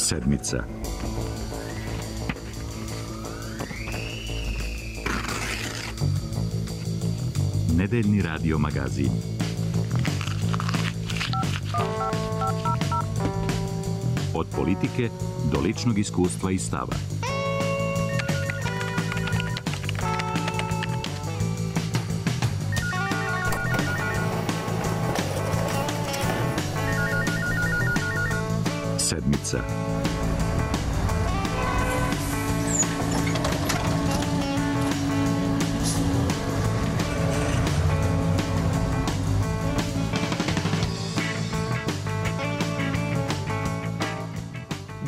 Sedmica. Nedeljni radio magazin. Od politike do ličnog iskustva i stava. Sedmica.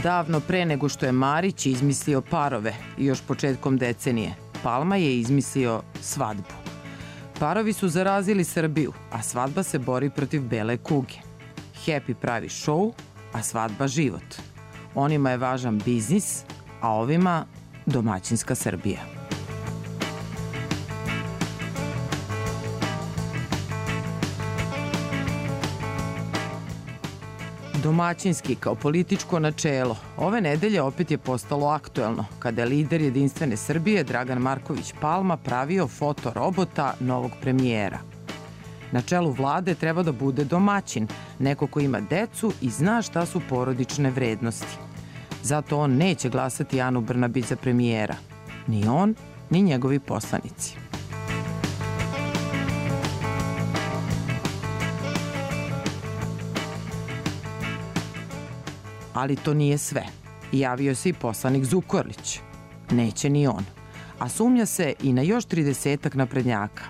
Davno pre nego što je Marić izmislio parove, još početkom decenije, Palma je izmislio svadbu. Parovi su zarazili Srbiju, a svadba se bori protiv bele kuge. Happy pravi šou, a svadba život. Onima je važan biznis, a ovima domaćinska Srbija. Domaćinski kao političko načelo ove nedelje opet je postalo aktuelno kada je lider Jedinstvene Srbije Dragan Marković Palma pravio fotorobota novog premijera. Na čelu vlade treba da bude domaćin, neko ko ima decu i zna šta su porodične vrednosti. Zato on neće glasati Anu Brnabić za premijera. Ni on, ni njegovi poslanici. Ali to nije sve. Javio se i poslanik Zukorlić. Neće ni on. A sumnja se i na još 30-ak naprednjaka.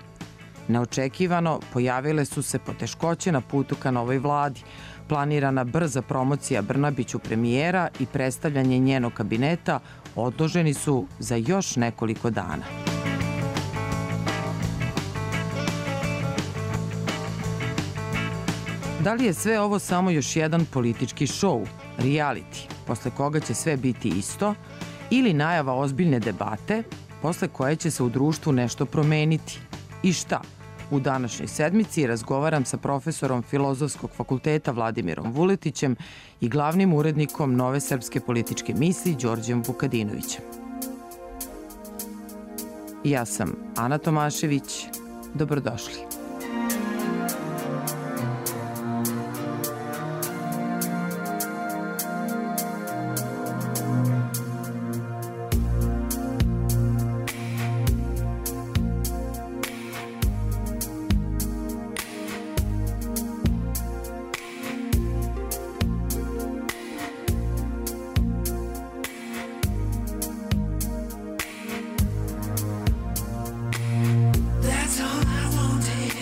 Neočekivano pojavile su se poteškoće na putu ka novoj vladi, planirana brza promocija Brnabiću premijera i predstavljanje njenog kabineta odloženi su za još nekoliko dana. Da li je sve ovo samo još jedan politički šou, reality, posle koga će sve biti isto, ili najava ozbiljne debate, posle koje će se u društvu nešto promeniti? I šta? U današnjoj sedmici razgovaram sa profesorom Filozofskog fakulteta Vladimirom Vuletićem i glavnim urednikom Nove srpske političke misli Đorđem Vukadinovićem. Ja sam Ana Tomašević. Dobrodošli. That's all I wanted.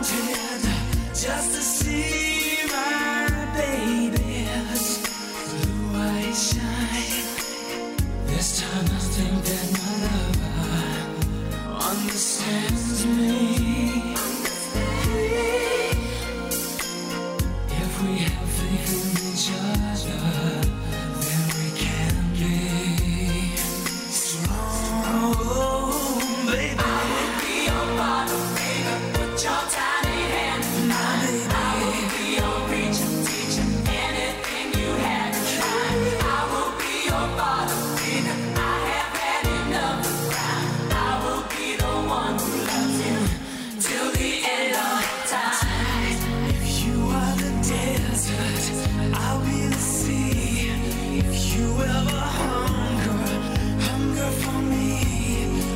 wanted just to see my baby's blue eyes shine. This time I think that my lover understands me. If we have faith in each other, then we can be strong, baby. I will be your bottle, baby. Put your tiny hand in mine. I will be your preacher, teacher, anything you had to try. I will be your bottle, baby. I have had enough of crime. I will be the one who loves you till the end of time. If you are the desert, I'll be the sea. If you ever hunger for me,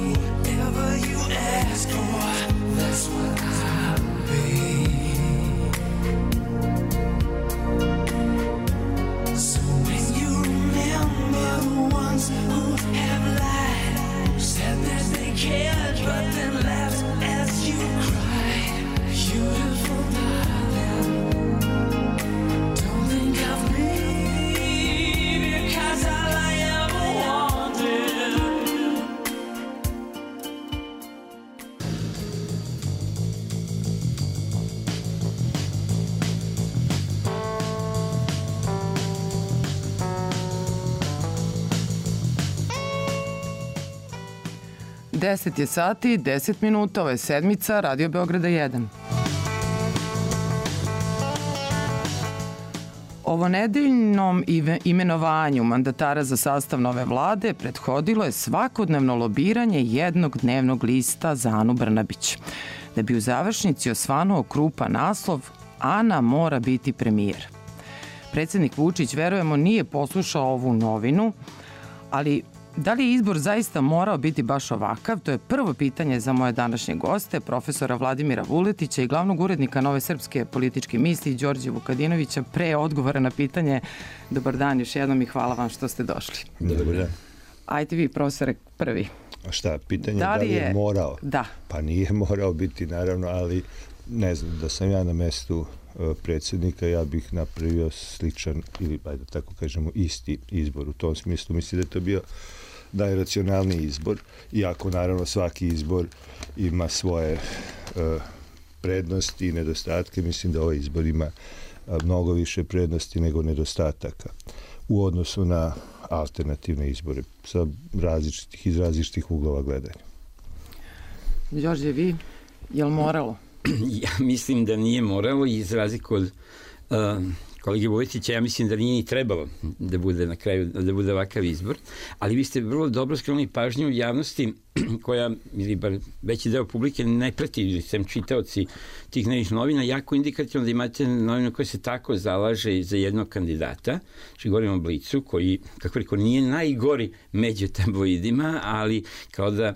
whatever you ask for, that's what I'll be. So when you remember the ones who have lied, who said that they cared but then laughed as you cried, beautiful darling, don't think of me, because all I ever wanted. 10 je sati, 10 minuta, ovo je sedmica Radio Beograda 1. Ovo nedeljnom imenovanju mandatara za sastav nove vlade prethodilo je svakodnevno lobiranje jednog dnevnog lista za Anu Brnabić. Da bi u završnici osvanuo krupan naslov Ana mora biti premijer. Predsednik Vučić, verujemo, nije poslušao ovu novinu, ali da li je izbor zaista morao biti baš ovakav? To je prvo pitanje za moje današnje goste, profesora Vladimira Vuletića i glavnog urednika Nove srpske političke misli, Đorđe Vukadinovića. Pre odgovora na pitanje, dobar dan još jednom i hvala vam što ste došli. Dobar dan. Ajde vi, profesore, prvi. A šta, pitanje da li je morao? Da. Pa nije morao biti, naravno, ali ne znam, da sam ja na mestu predsjednika, ja bih napravio sličan ili, da tako kažemo, isti izbor. U tom smislu mislim da je to bio najracionalniji izbor, iako naravno svaki izbor ima svoje prednosti i nedostatke. Mislim da ovaj izbor ima mnogo više prednosti nego nedostataka u odnosu na alternativne izbore sa iz različitih uglova gledanja. Đorđe, vi, je li moralo? Ja mislim da nije moralo i iz razliku od kolege Vojtića, ja mislim da nije ni trebalo da bude na kraju, da bude ovakav izbor, ali vi ste vrlo dobro skrenuli pažnju javnosti koja, ili bar veći deo publike ne prati, ili sem čitaoci tih nekih novina, jako indikativno da imate novinu koja se tako zalaže za jednog kandidata, znači govorimo o Blicu, koji, kako rekao, nije najgori među tabloidima, ali kao da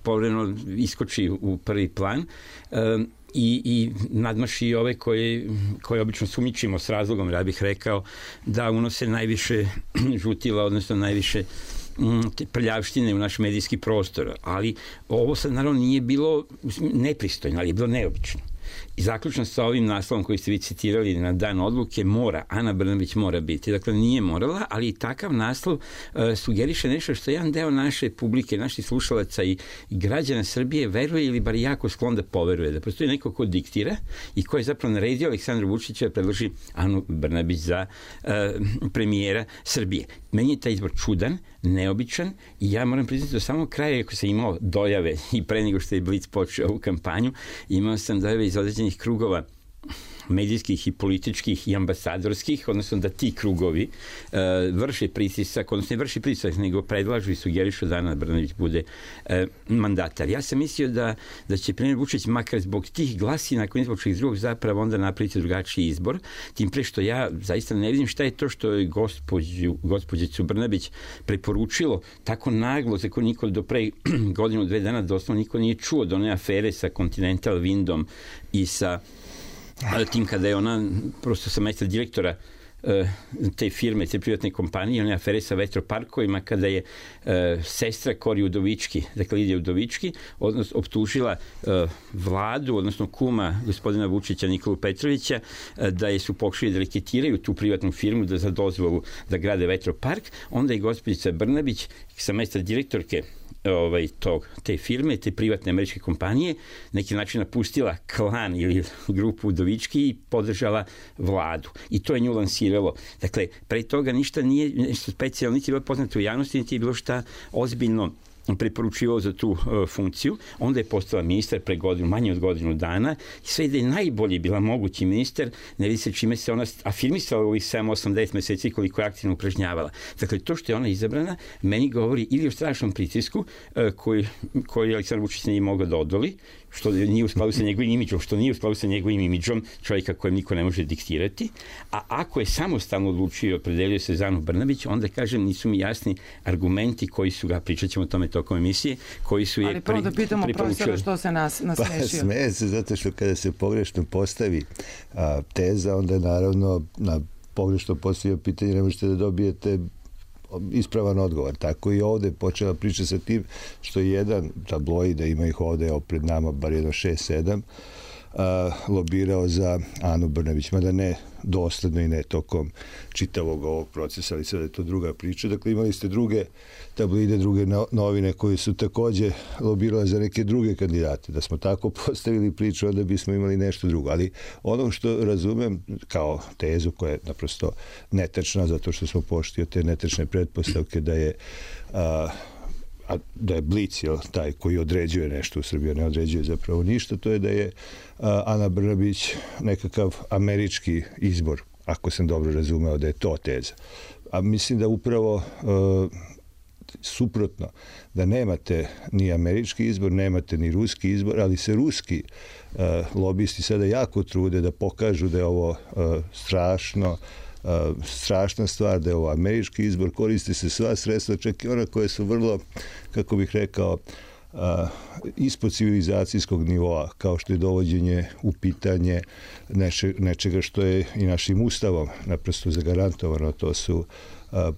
povremeno iskoči u prvi plan i nadmaši ove koje obično sumnjičimo s razlogom, ja bih rekao, da unose najviše žutila, odnosno najviše prljavštine u naš medijski prostor. Ali ovo sad naravno nije bilo nepristojno, ali je bilo neobično. I zaključno sa ovim naslovom koji ste vi citirali na dan odluke, Ana Brnabić mora biti. Dakle, nije morala, ali i takav naslov sugeriše nešto što jedan deo naše publike, naših slušalaca i građana Srbije veruje ili bar jako sklon da poveruje. Da postoji neko ko diktira i ko je zapravo naredio Aleksandru Vučiću da predloži Anu Brnabić za premijera Srbije. Meni je taj izbor čudan, neobičan i ja moram priznati do samog kraja, ako sam imao dojave i pre nego što je Blic počeo ovu kampanju, imao sam dojave iz određenih krugova medijskih i političkih i ambasadorskih, odnosno da ti krugovi vrše pritisak, odnosno ne vrši pritisak, nego predlažu i sugerišu da Ana Brnabić bude mandatar. Ja sam mislio da će premijer Vučić makar zbog tih glasina koji zbog čih drugog zapravo onda napraviti drugačiji izbor, tim pre što ja zaista ne vidim šta je to što je gospođicu Brnabić preporučilo tako naglo, za koju niko do pre godinu, 2 dana doslovno niko nije čuo do one afere sa Continental Windom i sa tim kada je ona prosto sa mesta direktora te firme, te privatne kompanije, one afere sa vetroparkovima, kada je sestra Kori Udovički, dakle Lidija Udovički, odnosno optužila vladu, odnosno kuma gospodina Vučića, Nikolu Petrovića, da je su pokušali da reketiraju tu privatnu firmu da za dozvolu da grade vetropark, onda je gospođica Brnabić sa mesta direktorke te firme, te privatne američke kompanije, neki način napustila klan ili grupu Udovički i podržala vladu. I to je nju lansiralo. Dakle, pre toga ništa nije nešto specijalno, niti je bilo poznato u javnosti, niti je bilo šta ozbiljno preporučivao za tu funkciju. Onda je postala ministar pre manje od godinu dana i sve da je najbolji bila mogući ministar, ne vidi se čime se ona afirmisala u ovih 7, 8, 10 meseci koliko je aktivno upražnjavala. Dakle, to što je ona izabrana, meni govori ili o strašnom pritisku koji Aleksandar Vučić nije mogao da odoli, što nije u skladu sa njegovim imidžom, što nije u skladu sa njegovim imidžom čovjeka kojem niko ne može diktirati, a ako je samostalno odlučio i opredelio se za Anu Brnabić, onda, kažem, nisu mi jasni argumenti koji su ga, pričat ćemo o tome tokom emisije, koji su je ali prvo da pitamo profesora što se nasmešio. Pa smeje se zato što kada se pogrešno postavi teza, onda je naravno na pogrešno postavio pitanje ne možete da dobijete ispravan odgovor. Tako i ovde počela priča sa tim što je jedan tabloid, da ima ih ovde pred nama bar jedno 6-7, lobirao za Anu Brnabić, mada ne dosledno i ne tokom čitavog ovog procesa, ali sada je to druga priča. Dakle, imali ste druge tabloide, druge novine koji su takođe lobirale za neke druge kandidate. Da smo tako postavili priču, onda bismo imali nešto drugo. Ali ono što razumem kao tezu koja je naprosto netačna, zato što smo pošli od te netačne pretpostavke da je Blic taj koji određuje nešto u Srbiji, ne određuje zapravo ništa, to je da je Ana Brnabić nekakav američki izbor, ako sam dobro razumeo da je to teza. A mislim da upravo suprotno, da nemate ni američki izbor, nemate ni ruski izbor, ali se ruski lobisti sada jako trude da pokažu da je ovo strašna stvar, da je ovo američki izbor, koriste se sva sredstva, čak i ona koje su vrlo, kako bih rekao, ispod civilizacijskog nivoa, kao što je dovođenje u pitanje nečega što je i našim ustavom naprosto zagarantovano, to su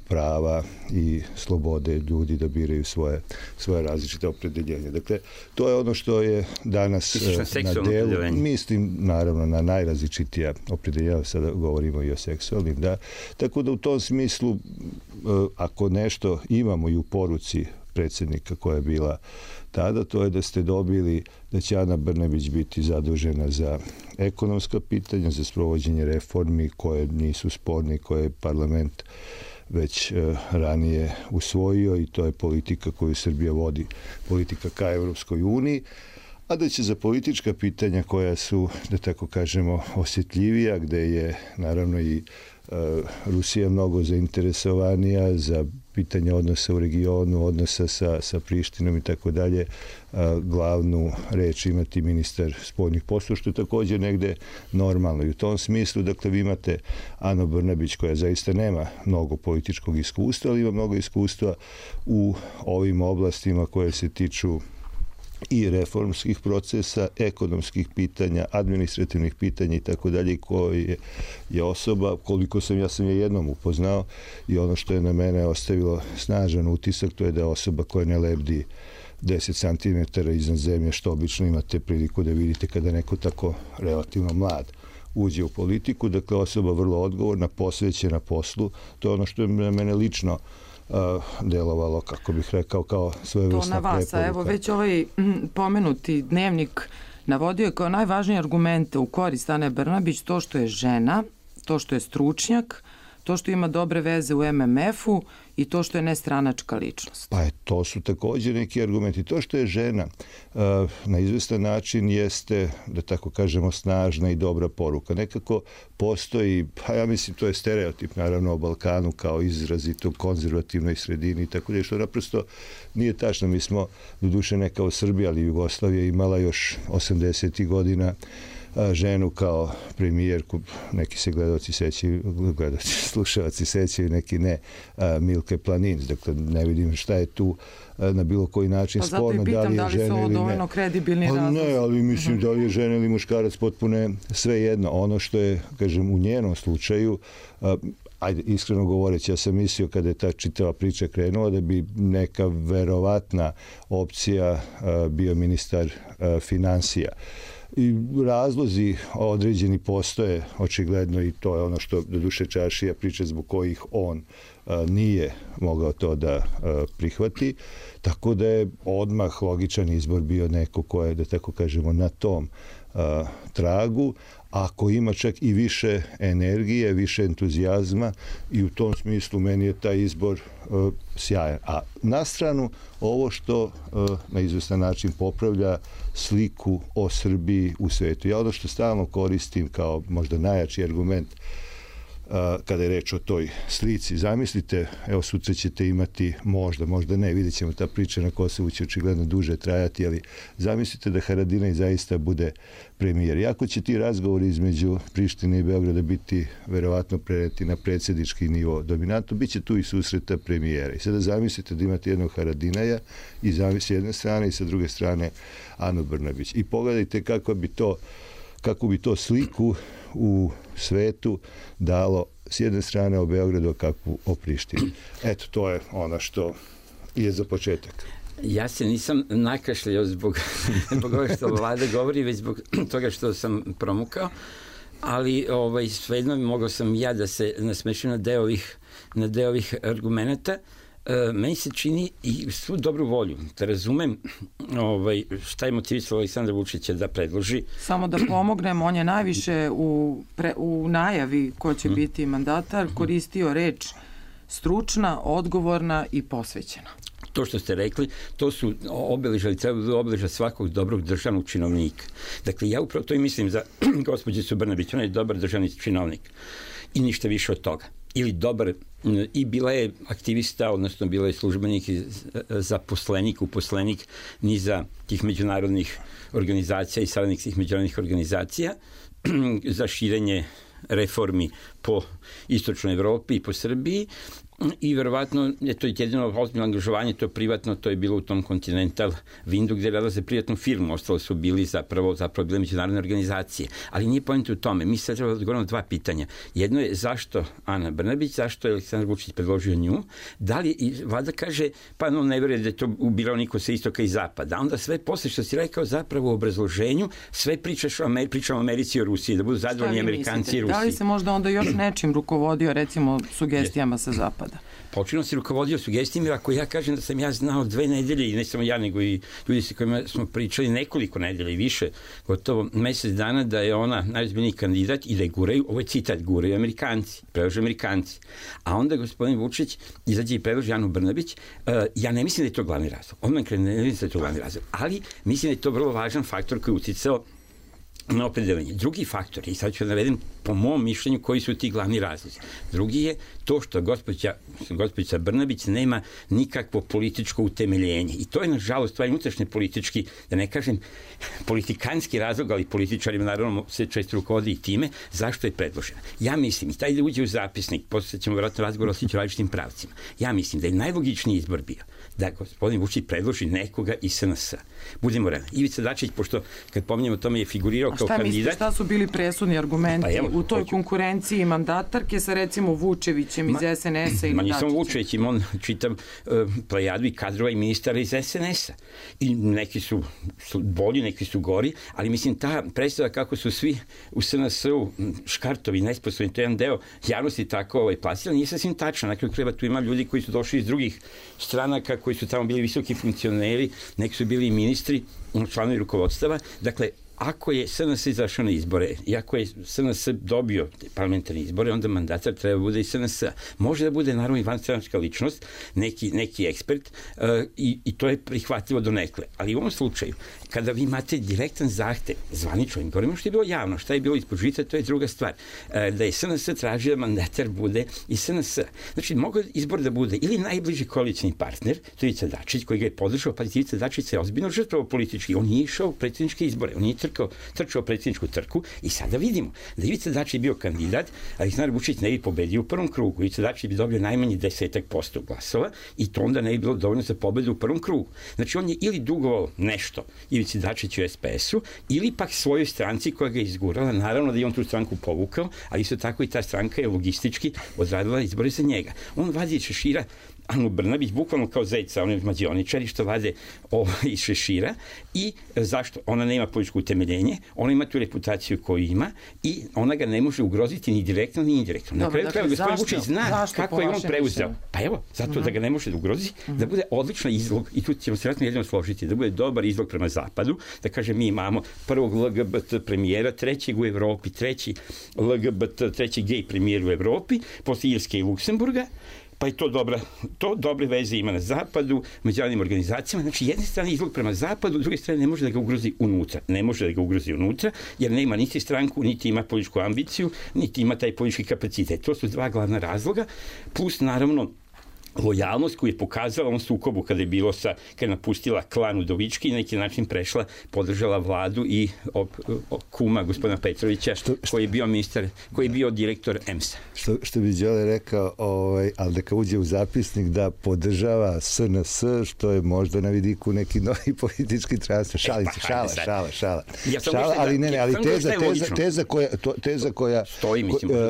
prava i slobode ljudi da biraju svoje različite opredeljenje. Dakle, to je ono što je danas na delu. Mislim, naravno, na najrazličitija opredeljenja, sada govorimo i o seksualnim, da. Tako da u tom smislu, ako nešto imamo i u poruci predsjednika koja je bila tada, to je da ste dobili da će Ana Brnabić biti zadužena za ekonomska pitanja, za sprovođenje reformi koje nisu sporne, koje je parlament već ranije usvojio i to je politika koju Srbija vodi, politika ka Evropskoj uniji, a da će za politička pitanja koja su, da tako kažemo, osjetljivija, gde je naravno i Rusija mnogo zainteresovanija za pitanje odnosa u regionu, odnosa sa Prištinom i tako dalje, glavnu reč imati ministar spoljnih poslova, što je također negde normalno. I u tom smislu, dakle, vi imate Anu Brnabić koja zaista nema mnogo političkog iskustva, ali ima mnogo iskustva u ovim oblastima koje se tiču i reformskih procesa, ekonomskih pitanja, administrativnih pitanja i tako dalje, koji je osoba, koliko ja sam je jednom upoznao i ono što je na mene ostavilo snažan utisak, to je da je osoba koja ne lebdi 10 cm iznad zemlje, što obično imate priliku da vidite kada neko tako relativno mlad uđe u politiku. Dakle, osoba vrlo odgovorna, posvećena poslu. To je ono što je na mene lično delovalo, kako bih rekao, kao svojevrsna preporuka. To na vas, a evo već ovaj pomenuti dnevnik navodio je kao najvažnije argumente u korist Ane Brnabić to što je žena, to što je stručnjak, to što ima dobre veze u MMF-u i to što je nestranačka ličnost. Pa to su također neki argumenti. To što je žena na izvestan način jeste, da tako kažemo, snažna i dobra poruka. Nekako postoji, pa ja mislim to je stereotip naravno o Balkanu kao izrazito konzervativnoj sredini i tako da što naprosto nije tačno. Mi smo, doduše ne kao Srbija, ali Jugoslavija imala još 80. godina ženu kao premijerku, neki se slušalci sećaju, neki ne, Milke Planinc. Dakle, ne vidim šta je tu na bilo koji način sporno, da li je žena ili ne. Dovoljno kredibilni razlog. Ne, ali mislim da li je žena ili muškarac potpuno je sve jedno. Ono što je, kažem, u njenom slučaju, ajde, iskreno govoreći, ja sam mislio kada je ta čitava priča krenula da bi neka verovatna opcija bio ministar finansija. I razlozi određeni postoje, očigledno, i to je ono što doduše Čaršija priča zbog kojih on nije mogao to da prihvati, tako da je odmah logičan izbor bio neko ko je, da tako kažemo, na tom tragu, ako ima čak i više energije, više entuzijazma, i u tom smislu meni je taj izbor sjajan. A na stranu ovo što na izvestan način popravlja sliku o Srbiji u svetu. Ja ono što stalno koristim kao možda najjači argument kada je reč o toj slici. Zamislite, evo sutra ćete imati, možda ne, vidjet ćemo, ta priča na Kosovu će očigledno duže trajati, ali zamislite da Haradinaj zaista bude premijer. Iako će ti razgovori između Prištine i Beograda biti verovatno preneti na predsjednički nivo dominantno, bit će tu i susreta premijera. I sada zamislite da imate jednog Haradinaja i s jedne strane i sa druge strane Anu Brnabić. I pogledajte kako bi to sliku u svetu dalo s jedne strane o Beogradu, a kakvu o Prištini. Eto, to je ono što je za početak. Ja se nisam nakašljao zbog ovoga što vlada govori, već zbog toga što sam promukao, ali svejedno mogao sam ja da se nasmešim na deo ovih argumenta. Meni se čini i svu dobru volju da razumem šta je motivisalo Aleksandra Vučića da predloži. Samo da pomognem, on je najviše u najavi ko će biti mandatar koristio reč stručna, odgovorna i posvećena. To što ste rekli, to su obeležja, ali treba da obeležja svakog dobrog državnog činovnika. Dakle, ja upravo to i mislim za gospođicu Brnabić, ona je dobar državni činovnik i ništa više od toga. Ili dobar, i bila je aktivista, odnosno bila je službenik i zaposlenik, uposlenik niza tih međunarodnih organizacija i saradnik tih međunarodnih organizacija za širenje reformi po istočnoj Evropi i po Srbiji, i verovatno je to jedino ozbiljno angažovanje, to je privatno, to je bilo u tom Continental Windu gde je radila za privatnu firmu, ostalo su bili zapravo bile međunarodne organizacije. Ali nije poenta u tome, mi sad treba da odgovorimo dva pitanja. Jedno je zašto Ana Brnabić, zašto je Aleksandar Vučić predložio nju, da li, i vlada kaže, pa no ne veruje da je to ubirao niko sa istoka i zapada. Onda sve posle što si rekao zapravo u obrazloženju, sve pričamo o Americi i o Rusiji, da budu zadovoljni Amerikanci i Rusiji. Da li se možda onda još nečim rukovodio, recimo sugestijama sa zapada? Počinno se rukovodio sugestijama, ako ja kažem da sam ja znao 2 nedelje, i ne samo ja, nego i ljudi sa kojima smo pričali nekoliko nedelja i više, gotovo mesec dana, da je ona najozbiljniji kandidat i da je guraju, ovo je citat, guraju Amerikanci, predlože Amerikanci. A onda gospodin Vučić izađe i predloži Anu Brnabić. Ja ne mislim da je to glavni razlog. Odmah ne mislim da je to glavni razlog, ali mislim da je to vrlo važan faktor koji je uticao na opredeljenje. Drugi faktor, i sad ću da navedem po mom mišljenju koji su ti glavni razlozi. Drugi je to što gospođica Brnabić nema nikakvo političko utemeljenje. I to je, nažalost, stvar unutrašnje politički, da ne kažem politikanski razlog, ali političarima naravno se često rukovodi i time, zašto je predložena. Ja mislim, i taj da uđe u zapisnik, posle ćemo vjerojatno razgovor osjeći u različitim pravcima, ja mislim da je najlogičniji izbor bio da gospodin Vučić predloži nekoga iz SNS. Budemo realni. Ivica Dačić, pošto kad pominjemo tome, je figurirao kao kandidat. A šta mislite, šta su bili presudni argumenti u toj konkurenciji mandatarke sa recimo Vučevićem iz SNS-a ili Dačićem? Nisam Vučević, on čitav plejadu i kadrova i ministara iz SNS-a. I neki su bolji, neki su gori, ali mislim ta predstava kako su svi u SNS-u škartovi, nesposobni, to je jedan deo javnosti tako plasirani, nije sasvim tačno. Na kraju krajeva tu ima ljudi koji su došli iz drugih stranaka, koji su tamo bili visoki funkcioneri, neki su bili ministri, članovi rukovodstava. Dakle, ako je SNS izašao na izbore i ako je SNS dobio parlamentarne izbore, onda mandatar treba bude i SNS. Može da bude naravno i vanstranačka ličnost, neki ekspert, i to je prihvatljivo donekle. Ali u ovom slučaju, kada vi imate direktan zahtev, zvanično, govorimo što je bilo javno, šta je bilo ispod žita, to je druga stvar. Da je SNS tražio da mandatar bude i SNS. Znači, mogu izbor da bude ili najbliži koalicijni partner, to je Ivica Dačić, koji ga je podržao, pa Ivica Dačić se ozbiljno žrtvovao politički. On nije išao u predsjedničke izbore, on nije trčao trčao predsjedničku trku i sada vidimo da Ivica Dačić je bio kandidat, a Aleksandar Vučić ne bi pobedio u prvom krugu. Ivica Dačić bi dobio najmanje 10% glasova i to onda ne bi bilo dovoljno za pobedu u prvom krugu. Znači on je ili dugovao nešto Ivici Dačiću u SPS-u ili pak svojoj stranci koja ga je izgurala. Naravno da je on tu stranku povukao, ali isto tako i ta stranka je logistički odradila izbore za njega. On vadi iz šešira Anu Brnabić, bukvalno kao zeca, oni mađioničari što vade iz šešira. I zašto? Ona nema političko utemeljenje, ona ima tu reputaciju koju ima i ona ga ne može ugroziti ni direktno ni indirektno. Na kraju krajeva gospodin Vučić zna kako je on preuzeo. Pa evo, zato da ga ne može da ugrozi, da bude odličan izlog, i tu ćemo se vratno jedino složiti, da bude dobar izlog prema zapadu, da kaže mi imamo prvog LGBT premijera, trećeg u Evropi, treći gej premijer u Evropi, posle Irske i Luksemburga, pa i to dobre veze ima na zapadu, međunarodnim organizacijama. Znači, jedne strane izlog prema zapadu, druge strane ne može da ga ugrozi unutra. Ne može da ga ugrozi unutra, jer nema niti stranku, niti ima političku ambiciju, niti ima taj politički kapacitet. To su dva glavna razloga, plus naravno lojalnost koju je pokazala on sukobu kada je napustila klan Udovički i na neki način podržala vladu i kuma gospodina Petrovića, koji je bio ministar, koji je bio direktor EMS-a. Što bi Đole rekao, ali neka uđe u zapisnik da podržava SNS, što je možda na vidiku neki novi politički transfer. Šalim se, šala. Ali teza koja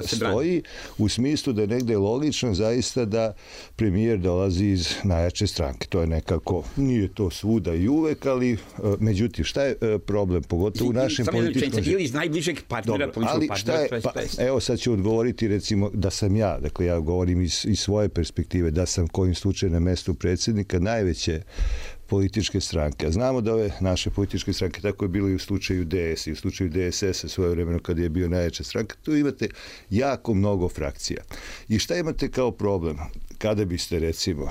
stoji u smislu da je negde logično zaista da premijer dolazi iz najjače stranke. To je nekako, nije to svuda i uvek, ali međutim, šta je problem, pogotovo u našem političkom... Ili iz najbližeg partnera, političkog partnera. Evo sad ću odgovoriti, recimo, da sam ja, dakle ja govorim iz svoje perspektive, da sam kojim slučajem na mestu predsjednika najveće političke stranke. A znamo da ove naše političke stranke, tako je bilo i u slučaju DS i u slučaju DSS-a svojevremeno kada je bio najjača stranka, tu imate jako mnogo frakcija. I šta imate kao problem? Kada biste, recimo,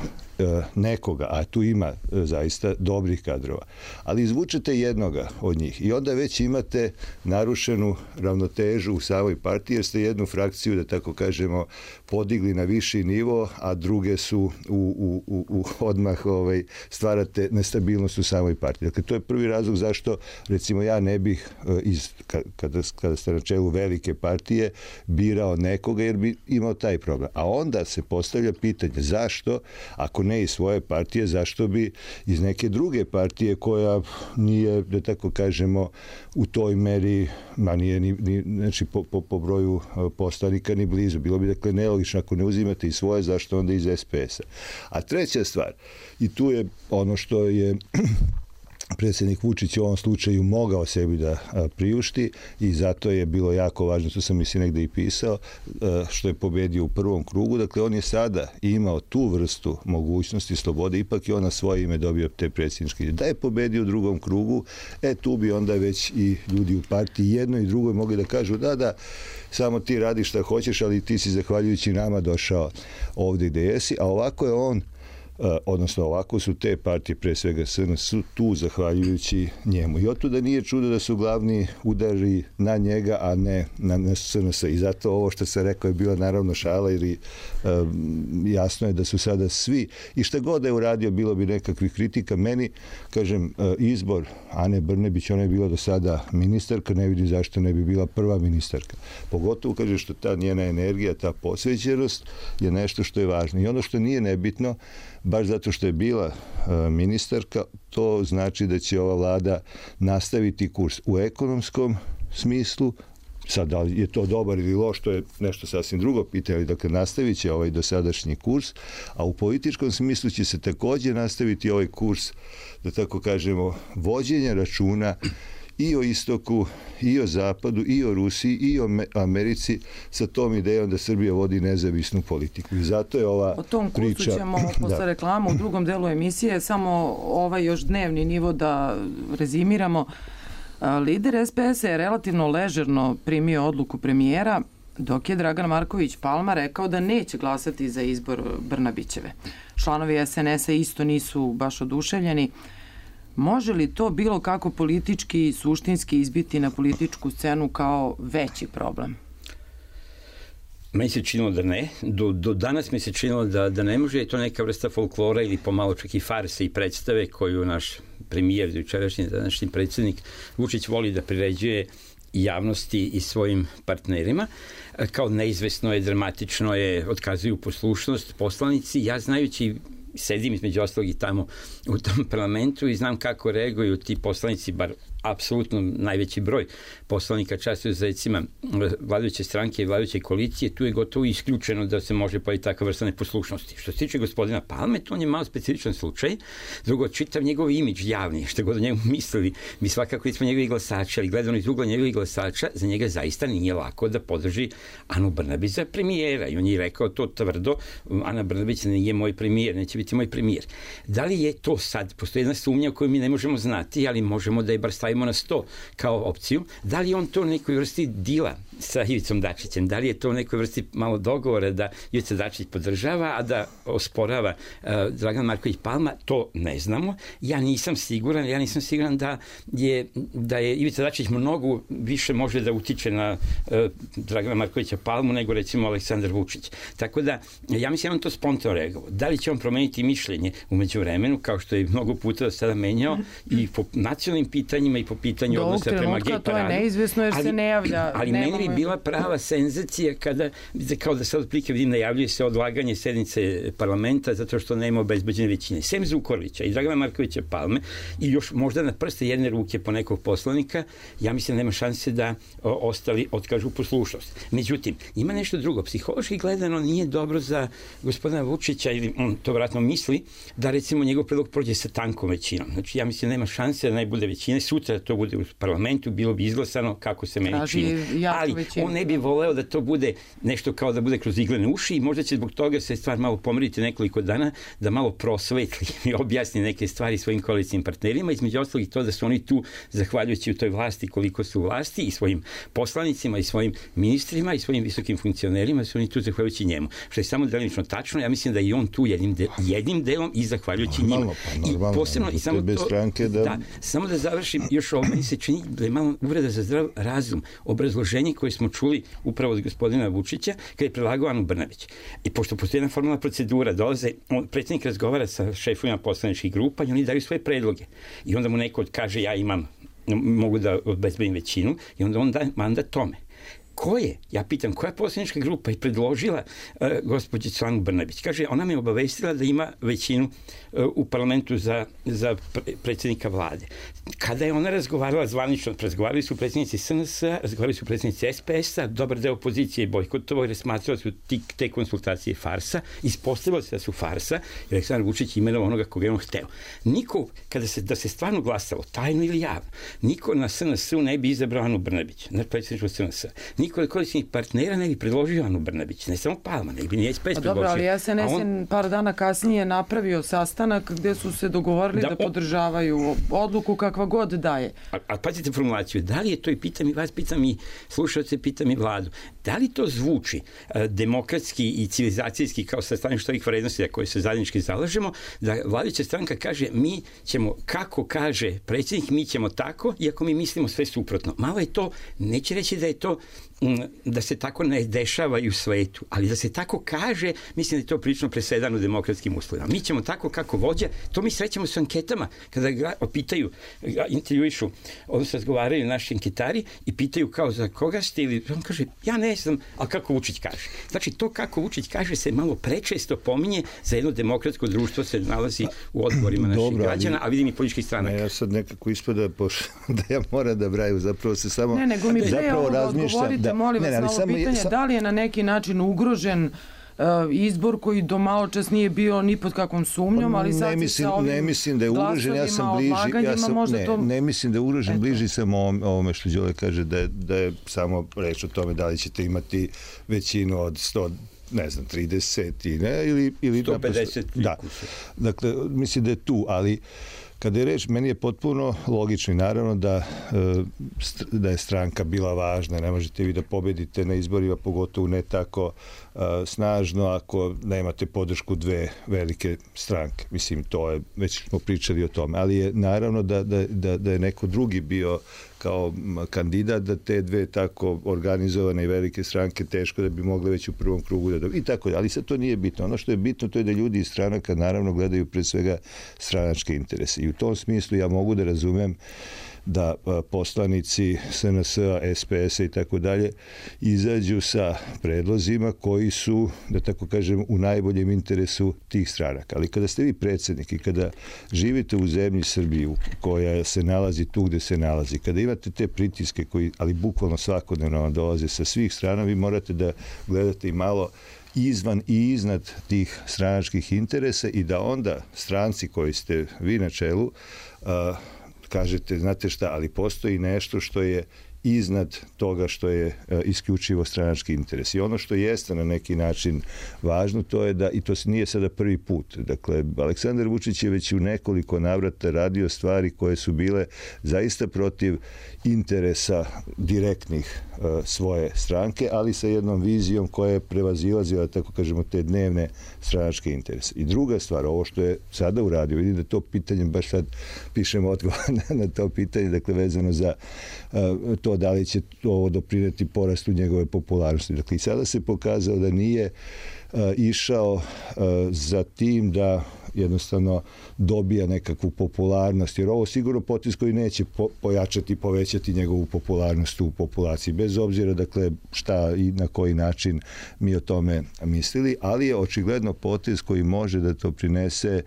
nekoga, a tu ima zaista dobrih kadrova, ali izvučete jednoga od njih i onda već imate narušenu ravnotežu u samoj partiji, jer ste jednu frakciju, da tako kažemo, podigli na viši nivo, a druge su odmah stvarate nestabilnost u samoj partiji. Dakle, to je prvi razlog zašto, recimo, ja ne bih, kada ste na čelu velike partije, birao nekoga, jer bi imao taj problem. A onda se postavlja pitanje zašto, ako ne iz svoje partije, zašto bi iz neke druge partije koja nije, da tako kažemo, u toj meri, nije znači po broju poslanika ni blizu. Bilo bi, dakle, nelogično ako ne uzimate i svoje, zašto onda iz SPS-a. A treća stvar, i tu je ono što je predsjednik Vučić u ovom slučaju mogao sebi da priušti i zato je bilo jako važno, to sam mislim negde i pisao, što je pobedio u prvom krugu. Dakle, on je sada imao tu vrstu mogućnosti, slobode, ipak je on na svoje ime dobio te predsjedničke. Da je pobedio u drugom krugu, tu bi onda već i ljudi u partiji jedno i drugo mogli da kažu da, samo ti radiš šta hoćeš, ali ti si zahvaljujući nama došao ovdje gde jesi, a ovako je on, odnosno ovako su te partije, pre svega SNS, tu zahvaljujući njemu. I otuda nije čudo da su glavni udari na njega, a ne na SNS. I zato ovo što sam rekao je bila naravno šala, jer jasno je da su sada svi, i šta god da je uradio, bilo bi nekakvih kritika. Meni, kažem, izbor Ane Brnabić, ona je bila do sada ministarka, ne vidim zašto ne bi bila prva ministarka. Pogotovo, kaže, što ta njena energija, ta posvećenost je nešto što je važno. I ono što nije nebitno, baš zato što je bila ministarka, to znači da će ova vlada nastaviti kurs u ekonomskom smislu. Sad, da li je to dobar ili loš, to je nešto sasvim drugo pitanje, dakle, nastavit će ovaj dosadašnji kurs, a u političkom smislu će se također nastaviti ovaj kurs, da tako kažemo, vođenja računa i o istoku, i o zapadu, i o Rusiji, i o Americi, sa tom idejom da Srbija vodi nezavisnu politiku. I zato je ova priča... O tom kursu ćemo posle reklama u drugom delu emisije, samo ovaj još dnevni nivo da rezimiramo. Lider SPS je relativno ležerno primio odluku premijera, dok je Dragan Marković Palma rekao da neće glasati za izbor Brnabićeve. Članovi SNS-a isto nisu baš oduševljeni. Može li to bilo kako politički i suštinski izbiti na političku scenu kao veći problem? Meni se činilo da ne. Do danas mi se činilo da ne može. Je to neka vrsta folklora ili pomalo čak i farse i predstave koju naš premijer, jučerašnji današnji predsjednik Vučić voli da priređuje javnosti i svojim partnerima. Kao neizvesno je, dramatično je, otkazuju poslušnost poslanici. Ja znajući, sedim između ostalog i tamo u tom parlamentu i znam kako reaguju ti poslanici, bar apsolutno najveći broj poslanika čast izuzecima vladajuće stranke i vladajuće koalicije, tu je gotovo isključeno da se može pojaviti takva vrsta neposlušnosti. Što se tiče gospodina Palme, to on je malo specifičan slučaj. Drugo, čitav njegov imidž javni, što god o njemu mislili, mi svakako smo njegovi glasači, ali gledano iz ugla njegovih glasača, za njega zaista nije lako da podrži Anu Brnabić za premijera. I on je rekao to tvrdo, Ana Brnabić nije moj premijer, neće biti moj premijer. Da li je to sad, postoji jedna sumnja koju mi ne možemo znati, ali možemo da je bar stavimo na sto kao opciju, da li je on to u nekoj vrsti dila sa Ivicom Dačićem, da li je to u nekoj vrsti malo dogovora da Ivica Dačić podržava, a da osporava Dragan Marković Palma, to ne znamo. Ja nisam siguran da je Ivica Dačić mnogo više može da utiče na Dragana Markovića Palmu nego recimo Aleksandar Vučić. Tako da, ja mislim da on to spontano reagovao. Da li će on promeniti mišljenje u međuvremenu, kao što je mnogo puta do sada menjao i po nacionalnim pitanjima i po pitanju odnosa prema gej paradu. To je neizvesno jer se ne javlja. Ali meni bi bila prava senzacija kada, kao da sad otprilike vidim, najavljuje se odlaganje sednice parlamenta zato što nema obezbeđene većine. Sem Zukorlića i Dragana Markovića Palme i još možda na prste jedne ruke po nekog poslanika, ja mislim da nema šanse da ostali otkažu poslušnost. Međutim, ima nešto drugo. Psihološki gledano nije dobro za gospodina Vučića, ili on to vratno misli, da recimo njegov predlog prođe sa tankom većinom. Znači, ja mislim da nema šanse da ne bude većine. Sutra to bude u parlamentu, bilo bi izglasano kako se meni čini. Ali on ne bi voleo da to bude nešto kao da bude kroz iglene uši i možda će zbog toga se stvar malo pomeriti nekoliko dana, da malo prosvetli i objasni neke stvari svojim koalicijnim partnerima, između ostalog i to da su oni tu, zahvaljujući u toj vlasti koliko su u vlasti i svojim poslanicima i svojim ministrima i svojim visokim funkcionerima, su oni tu zahvaljujući njemu. Što je samo delimično tačno, ja mislim da i on tu jednim delom i zahvaljujući njima. I posebno, i samo to, stranke samo da završim još ovo, meni se čini da je malo uvreda za zdrav razum, obrazloženje koje smo čuli upravo od gospodina Vučića kada je predlagao Anu Brnabić. I pošto postoji jedna formalna procedura, dolaze, predsjednik razgovara sa šefovima poslaničkih grupa i oni daju svoje predloge. I onda mu neko kaže ja mogu da obezbedim većinu i onda on da mandat tome. Ko je? Ja pitam, koja poslanička grupa je predložila gospođicu Anu Brnabić? Kaže, ona me obavestila da ima većinu u parlamentu za predsjednika vlade. Kada je ona razgovarala zvanično, razgovarali su predsjednici SNS-a, razgovarali su predsjednici SPS-a, dobar deo opozicije bojkotovao jer smatrao su te konsultacije farsa, ispostavilo se da su farsa i Aleksandar Vučić imenovao onoga koga je on hteo. Niko, da se stvarno glasalo, tajno ili javno, niko na SNS-u ne bi izabrao Anu Brnabić, na predsjedničku SNS-a. Niko od koalicijnih partnera ne bi predložio Anu Brnabić, ne samo Palma, ne bi ni SPS predložio. Dobro, ali SNS par dana kasnije napravio sastanak gde su se dogovorili da podržavaju odluku kakva god daje. A pazite formulaciju, da li je to, i pitam i vas, pitam i slušalce, pitam i vladu, da li to zvuči demokratski i civilizacijski kao sa staništa ovih vrednosti za koje se zajednički zalažemo, da vladajuća stranka kaže mi ćemo, kako kaže predsjednik, mi ćemo tako, iako mi mislimo sve suprotno. Malo je to, neće reći da je to da se tako ne dešava i u svetu, ali da se tako kaže, mislim da je to prilično presedano u demokratskim uslovima. Mi ćemo tako kako vođa, to mi srećemo s anketama, kada ga pitaju, intervjuišu, odnosno razgovaraju naši anketari i pitaju kao za koga ste, ili on kaže, ja ne znam, ali kako Vučić kaže. Znači, to kako Vučić kaže se malo prečesto pominje, za jedno demokratsko društvo se nalazi u odgovorima naših građana, a vidim i političkih stranaka. Ja sad nekako ispada da ja moram da braju, zapravo se samo nego mi odgovorite, molim vas, na ovo pitanje, da li je na neki način ugrožen izbor koji do malo čas nije bio ni pod kakvom sumnjom, ali sad sa ovim ne mislim da je ugrožen, ja sam bliži, ne mislim da je ugrožen, bliži sam ovome što Đole kaže da je samo reč o tome da li ćete imati većinu od 100, ne znam, 30 i ne, ili 150. Da. Dakle, mislim da je tu, ali kada je reč, meni je potpuno logično i naravno da je stranka bila važna. Ne možete vi da pobedite na izborima, pogotovo ne tako snažno ako nemate podršku dve velike stranke. Mislim, to je, već smo pričali o tome. Ali je naravno da je neko drugi bio kao kandidat, da te dve tako organizovane i velike stranke teško da bi mogle već u prvom krugu da dobiju. I tako, ali sad to nije bitno. Ono što je bitno to je da ljudi iz stranaka naravno gledaju pre svega stranačke interese. I u tom smislu ja mogu da razumem da poslanici SNS-a, SPS-a i tako dalje izađu sa predlozima koji su, da tako kažem, u najboljem interesu tih stranaka. Ali kada ste vi predsjednik i kada živite u zemlji Srbiju koja se nalazi tu gde se nalazi, kada imate te pritiske koji, ali bukvalno svakodnevno vam dolaze sa svih strana, vi morate da gledate i malo izvan i iznad tih stranačkih interesa i da onda stranci koji ste vi na čelu kažete, znate šta, ali postoji nešto što je iznad toga što je isključivo stranački interes. I ono što jeste na neki način važno, to je da, i to nije sada prvi put, dakle, Aleksandar Vučić je već u nekoliko navrata radio stvari koje su bile zaista protiv interesa direktnih svoje stranke, ali sa jednom vizijom koja je prevazilazila, tako kažemo, te dnevne stranačke interese. I druga stvar, ovo što je sada uradio, vidim da to pitanje, baš sad pišemo odgovor na to pitanje, dakle, vezano za to da li će ovo doprineti porastu njegove popularnosti. Dakle, i sada se pokazao da nije išao za tim da jednostavno dobija nekakvu popularnost, jer ovo sigurno potez koji neće pojačati, povećati njegovu popularnost u populaciji, bez obzira, dakle, šta i na koji način mi o tome mislili, ali je očigledno potez koji može da to prinese